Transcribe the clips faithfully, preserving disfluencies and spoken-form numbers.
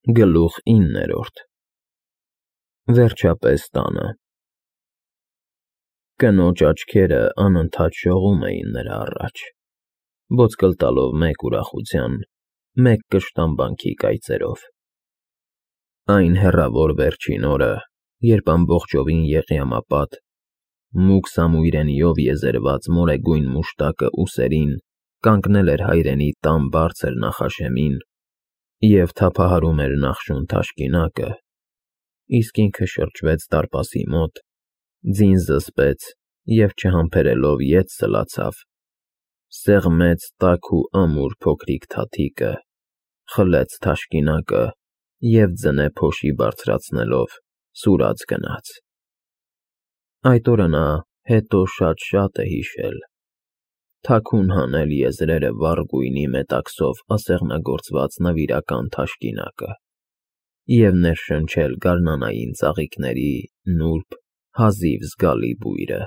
Գլուխ իններորդ Վերջապես տանը Կնոջ աչքերը անընդհատ շողում էին նրա առաջ, ոսկլ տալով մեկ ուրախության, մեկ կշտամբանքի կայծերով. Այն հեռավոր վերջին օրը, երբ ամբողջովին եղյամապատ, մուգ սամույրենիով եզերված մորեգույն մուշտակը ուսերին կանգնել էր հայրենի տան բարձր նախաշեմին և թափահարում էր նախշուն թաշկինակը, իսկ ինքը շրջվեց դարպասի մոտ, ձին զսպեց և չհամբերելով ետ սլացավ, սեղմեց տաք ու ամուր փոքրիկ թաթիկը, խլեց թաշկինակը և ձնե փոշի բարձրացնելով սուրաց գնաց. Այդ օրը նա հետո շատ֊շատ է հիշել, թաքուն հանել եզրերը վառ գույնի մետաքսով ասեղնագործված նվիրական թաշկինակը և ներշնչել գարնանային ծաղիկների նուրբ, հազիվ զգալի բույրը.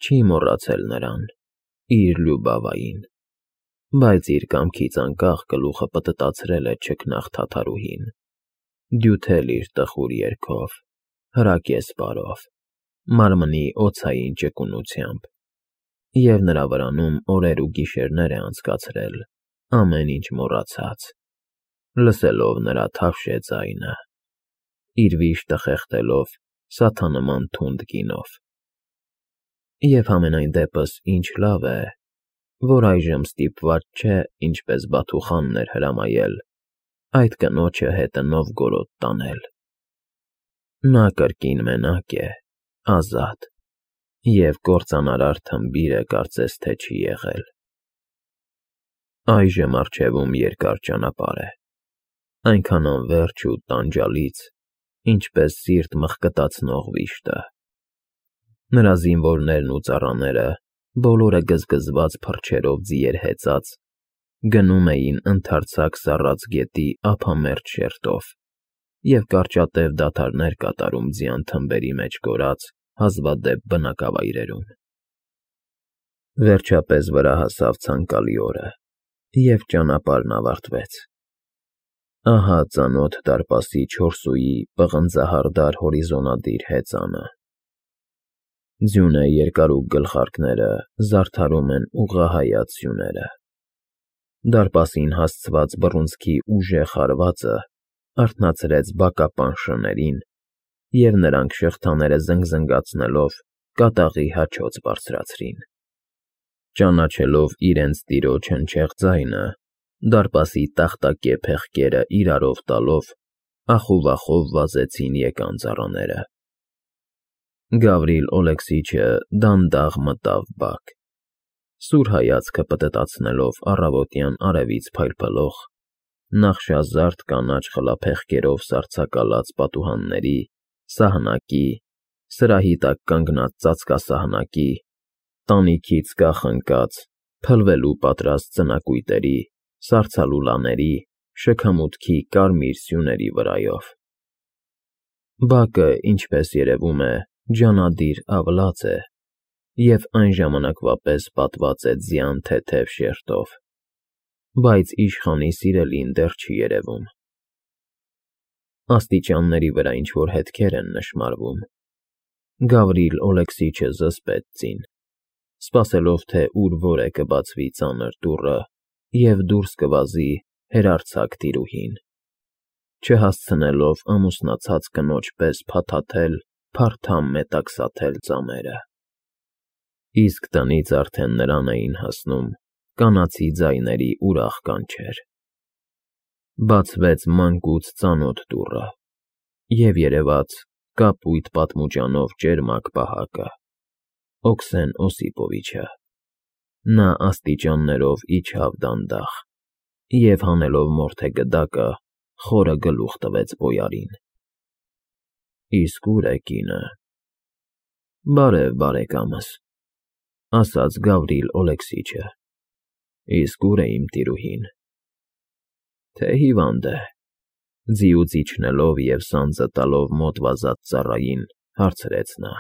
Չի մոռացել նրան, իր Լյուբավային, բայց իր կամքից անկախ գլուխը պտտացրել է չքնաղ թաթարուհին, դյութել իր տխուր երգով, հրակեսպարով, մարմնի օձային ճկունությամբ և նրա վրանում օրեր ու գիշերներ է անցկացրել, ամեն ինչ մոռացած, լսելով նրա թավշե ձայնը, իր վիշտը խեղդելով սաթանման թունդ գինով, և համենայն դեպս ինչ լավ է, որ այժմ ստիպված չէ, ինչպես Բաթուխանն էր հրամայել, այդ կնոջը հետը Նովգորոդ տանել. նա կրկին մենակ է, ազատ, և կործանարար թմբիրը կարծես թե չի եղել. Այժմ առջևում երկար ճանապարհ է, այնքան անվերջ ու տանջալից, ինչպես սիրտ մղկտացնող վիշտը, նրա զինվորներն ու ծառաները, բոլորը գզգզված փռչերով ձիեր հեծած, գնում էին ընդարձակ սառած գետի ափամերձ շերտով և կարճատև դադարներ կատարում ձյան թմբերի մեջ կորած հազվադեպ բնակավայրերում. Վերջապես վրա հասավ ցանկալի օրը, և ճանապարհն ավարտվեց. ահա ծանոթ դարպասի չորսուի պղնձահարդար հորիզոնադիր հեծանը, ձյունե երկարուկ գլխարկները զարդարում են ուղղահայաց սյուները, դարպասին հասցված բռունցքի ուժեղ հարվածը արթնացրեց բակապան շներին, և նրանք շղթաները զնգզնգացնելով կատաղի հաչոց բարձրացրին. Ճանաչելով իրենց տիրոջ հնչեղ ձայնը, դարպասի տախտակե փեղկերը իրարով տալով, ախով֊ախով վազեցին եկան ծառաները. Գավրիլ Օլեքսիչը դանդաղ մտավ բակ, սուր հայացքը պտտացնելով առավոտյան արևից փայլփլող, նախշազարդ կանաչ խլափեղկերով սառցակալած պատուհանների, սահնակի, սրահի տակ կանգնած ծածկասահնակի, տանիքից կախ ընկած, փլվելու պատրաստ ձնակույտերի, սառցալուլաների, շքամուտքի կարմիր սյուների վրայով. Բակը, ինչպես երևում է, ջանադիր ավլած է և այն ժամանակվա պես պատված է ձյան թեթև շերտով, բայց իշխանի սիրելին դեռ չի երևում. Աստիճանների վրա ինչ֊որ հետքեր են նշմարվում, Գավրիլ Օլեքսիչը զսպեց ձին, սպասելով, թե ուր֊որ է կբացվի ծանր դուռը և դուրս կվազի հերարձակ տիրուհին, չհասցնելով ամուսնացած կնոջ պես փաթաթել փարթամ մետաքսաթել ծամերը, իսկ տնից արդեն նրան էին հասնում կանացի ձայների ուրախ կանչեր. Բացվեց մանկուց ծանոթ դուռը, և երևաց կապույտ պատմուճանով ճերմակ պահակը, Օքսեն Օսիպովիչը, նա աստիճաններով իջավ դանդաղ և հանելով մորթե գդակը, խորը գլուխ տվեց բոյարին. Իսկ ո՞ւր է կինը: Բարև, բարեկամս, ասաց Գավրիլ Օլեքսիչը, իսկ ո՞ւր է իմ տիրուհին: Թե հիվանդ է, ձիուց իջնելով և սանձը տալով մոտ վազած ծառային, հարցրեց նա.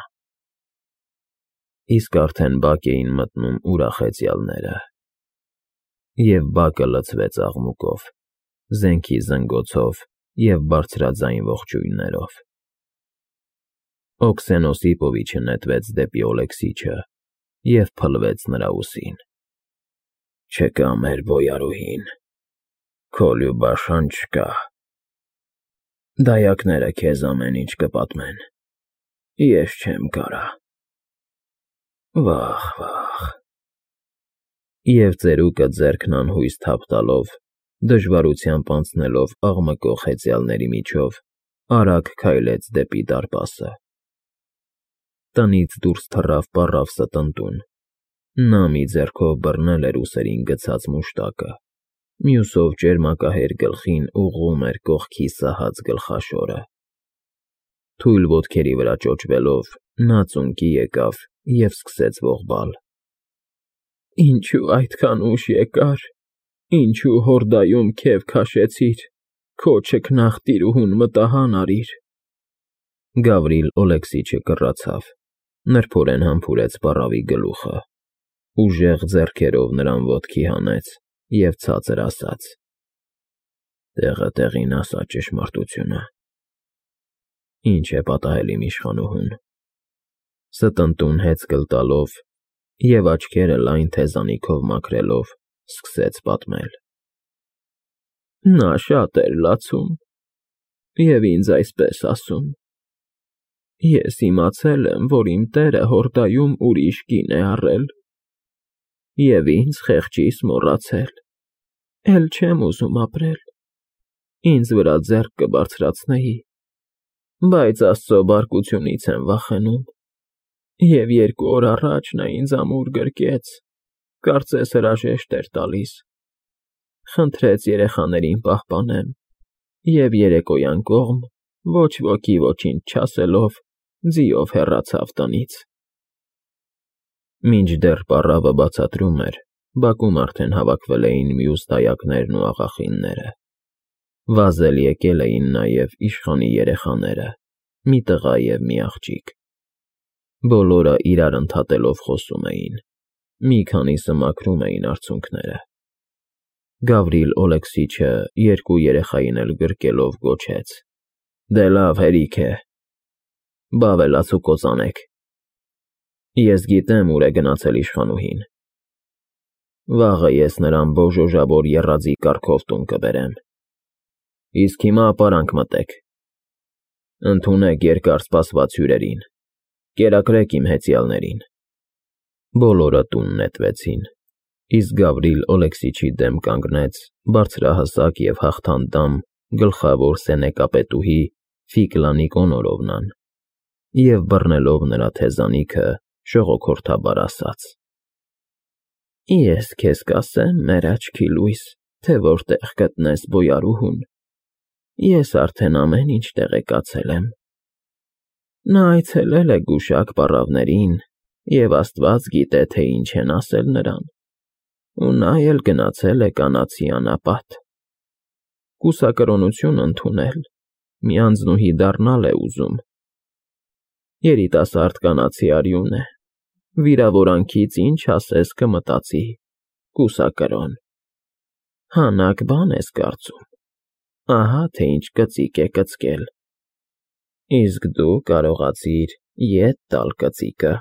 Իսկ արդեն բակ էին մտնում ուրախ հեծյալները, և բակը լցվեց աղմուկով, զենքի զնգոցով և բարձրաձայն ողջույններով։ Օքսենոս Իպովիչը նետվեց դեպի Օլեքսիչը և փլվեց նրա ուսին։ Չկա մեր բոյարուհին, քո Լյուբաշան չկա։ Դայակները քեզ ամեն ինչ կպատմեն, ես չեմ կարա։ Վախ, վախ։ Եվ ծերուկը ձեռքն անհույս թափ տալով, դժվարությամբ անցնելով աղմկող հեծյալների միջով, արագ քայլեց դեպի դարպասը։ Տնից դուրս թռավ պառավ ստընտուն։ Նա մի ձեռքով բռնել էր ուսերին գցած մուշտակը, մյուսով ճերմակահեր գլխին ուղղում էր կողքի սահած գլխաշորը։ Թույլ ոտքերի վրա ճոճվելով՝ նա ծունկի եկավ և սկսեց ողբալ. Ինչու այդքան ուշ եկար, ինչու հորդայում քեֆ քաշեցիր, քո չքնաղ տիրուհուն մտահան արիր։ Գավրիլ Օլեքսիչը կռացավ, նրբորեն համբուրեց պառավի գլուխը, ուժեղ ձեռքերով նրան ոտքի հանեց և ցածր ասաց. Տեղը տեղին ասա ճշմարտությունը։ Ինչ է պատահել իմ իշխանուհուն։ Ստընտուն հեծկլ տալով և աչքերը լայն թեզանիքով մաքրելով, սկսեց պատմել. Նա շատ էր լացում և ինձ այսպես ասում. Ես իմացել եմ, որ իմ տերը հորդայում ուրիշ կին է առել, և ինձ խեղճիս մոռացել, էլ չեմ ուզում ապրել, ինձ վրա ձեռք կբարձրացնեի, բայց Աստծո բարկությունից եմ վախենում, և երկու օր առաջ նա ինձ ամուր գրկեց, կարծես հրաժեշտ էր տալիս, խնդրեց երեխաներին պահպանեմ և երեկոյան կողմ, ոչ ոքի ոչինչ չասելով, ձիով հեռացավ տնից։ Մինչդեռ պառավը բացատրում էր, բակում արդեն հավաքվել էին մյուս դայակներն ու աղախինները։ Վազել եկել էին նաև իշխանի երեխաները, մի տղա և մի աղջիկ։ Բոլորը իրար ընդհատելով խոսում էին, մի քանիսը մաքրում էին արցունքները։ Գավրիլ Օլեքսիչը երկու երեխային էլ գրկելով գոչեց. Դե լավ, հերիք է, բա ավելացու կործանեք։ Ես գիտեմ ուր է գնացել իշխանուհին։ Վաղը ես նրան բոժոժավոր եռաձի կառքով տուն կբերեմ։ Իսկ հիմա ապարանք մտեք։ Ընդունեք երկար սպասված հյուրերին, կերակրեք իմ հեծյալներին։ Բոլորը տուն նետվեցին, իսկ Գավրիլ Օլեքսիչի դեմ կանգնեց բարձրահասակ և հաղթանդամ գլխավոր սենեկապետուհի Ֆիկլա Նիկոնորովնան և բռնելով նրա թեզանիքը ժողոքորթաբար ասաց. Ես քեզ կասեմ, մեր աչքի լույս, թե որտեղ գտնես բոյարուհուն, ես արդեն ամեն ինչ տեղեկացել եմ։ Նա այցելել է գուշակ պառավներին և Աստված գիտե, թե ինչ են ասել նրան, ու նա էլ գնացել է կանացի անապատ։ Կուսակրոնություն ընդունել, մի անձնուհի դառնալ է ուզում։ Երիտասարդ կանացի արյուն է, վիրավորանքից ինչ ասես կմտածի, կուսակրոն։ Հանաք բան ես կարծում, ահա թե ինչ կծիկ է կծկել։ Իսկ դու կարողացիր ետ տալ կծիկը։